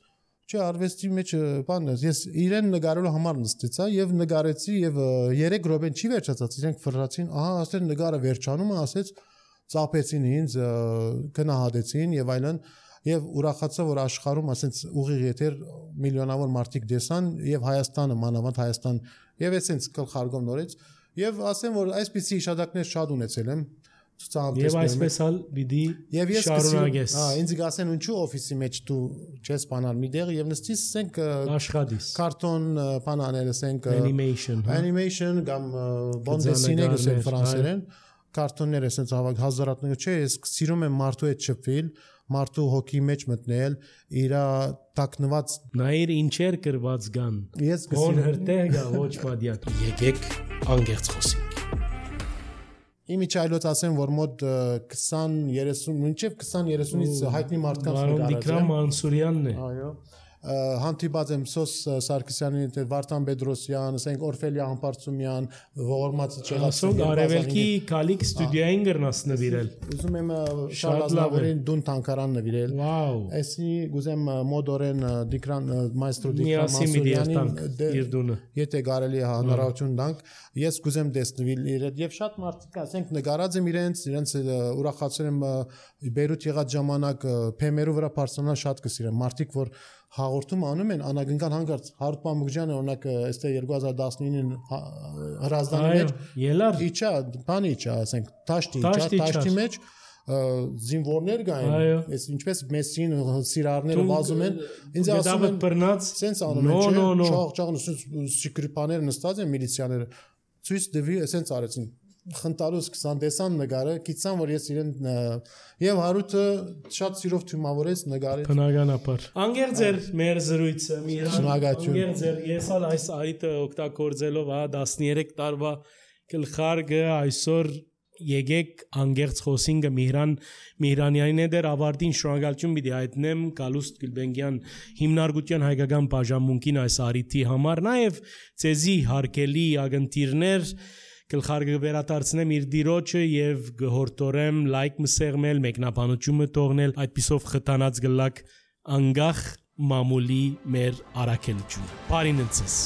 չէ արվեստի մեջ բանն է ես իրեն նկարելու համար նստեցա եւ նկարեցի եւ երեք րոպեն չի վերջացած իրենք ֆռացին ահա ասել նկարը վերջանում է ասեց ծափեցին ինձ գնահատեցին եւ այլն Եվ ուրախացա որ աշխարհում ասենց ուղիղ եթեր միլիոնավոր մարդիկ դեսան եւ Հայաստանը մանավանդ Հայաստան եւ այսենց գլխարկով նորից եւ ասեմ որ այսպիսի իշադակներ շատ ունեցել եմ Եվ այսպես ալ պիտի շարունակես հա ինձ գասեն ինչու օֆիսի մեջ դու չես բանալ մի դեղ եւ նստիս ասենք աշխատիս կարտոն բան անել ասենք animation animation կամ բոնդեսինե գսեն ֆրանսերեն կարտոններ ասենց հավաք հազարատներ չէ ես սիրում եմ մարդու հետ շփվել մարդու հոգի մեջ մտնել իրա տակնված նայր ինչեր կրված կան ես գոն հրտեղ գա ոչ մադիակ եկեք անգերց խոսենք Իմիջայլոց ասեմ որ մոտ քսան երեսուն մինչև քսան երեսունից հայտնի մարդկանց նկարած Դիկրամ Մանսուրյանն է այո հանդիպած եմ Սոս Սարգսյանին հետ Վարդան Պետրոսյան, ասենք Օրֆելիա Համբարձումյան, ողորմած Չեղասոկ Արևելքի Կալիկ ստուդիային գրնաս նվիրել։ Ուզում եմ Շարլազնավուրին Դուն Թանկարան նվիրել։ Վաու։ Այսի գուզեմ մոդորեն Դիկրան մայստրո Դիկրան Մանսուրյանին եթե կարելի է հնարավորություն տանք, ես գուզեմ տեսնել իրեն եւ շատ մարդիկ ասենք նկարած եմ իրենց, իրենց ուրախացել եմ Բեյրութ եղած ժամանակ փեմերու վրա պարսոնալ շատ կսիրեմ մարդիկ որ հաղորդում անում են անագնկան հանգարց Հարութ Մամուկյանը օրինակ այստեղ երկու հազար տասնինին հրազդանի մեջ ելար իջա բանի իջա ասենք տաշտի իջա տաշտի մեջ զինվորներ կային այս ինչպես մեսին սիրարները վազում են ինձ ասում են բռնած սենց անում են չէ չաղ չաղ սիկրիպաները նստած են միլիցիաները ցույց դվի սենց արեցին խնդալուս քսան տեսան նկարը գիտсан որ ես իրեն եւ Հարութը շատ սիրով թյումավորեց նկարեց բնականաբար անգերձեր մեր զրույցը Միրան անգերձեր ես ալ այս այդը օգտագործելով հա տասներեք տարվա գլխարկը այսօր եկեք անգերց խոսինգը Միրան Միրանյանին է դեր ավարտին շնորհակալություն պիտի հայտնեմ Գալուստ Գուլբենգյան հիմնարկության հայկական բաժանմունքին այս արիթի համար նաեւ ցեզի հարկելի ագընտիրներ Գլխարկը վերադարձնեմ իր դիրոջը եւ գհորտորեմ լայք մսեղմել մեկնաբանությունը թողնել այդպիսով խթանած գլակ անգախ մամուլի մեր արաքելությունը։ Բարին ընցես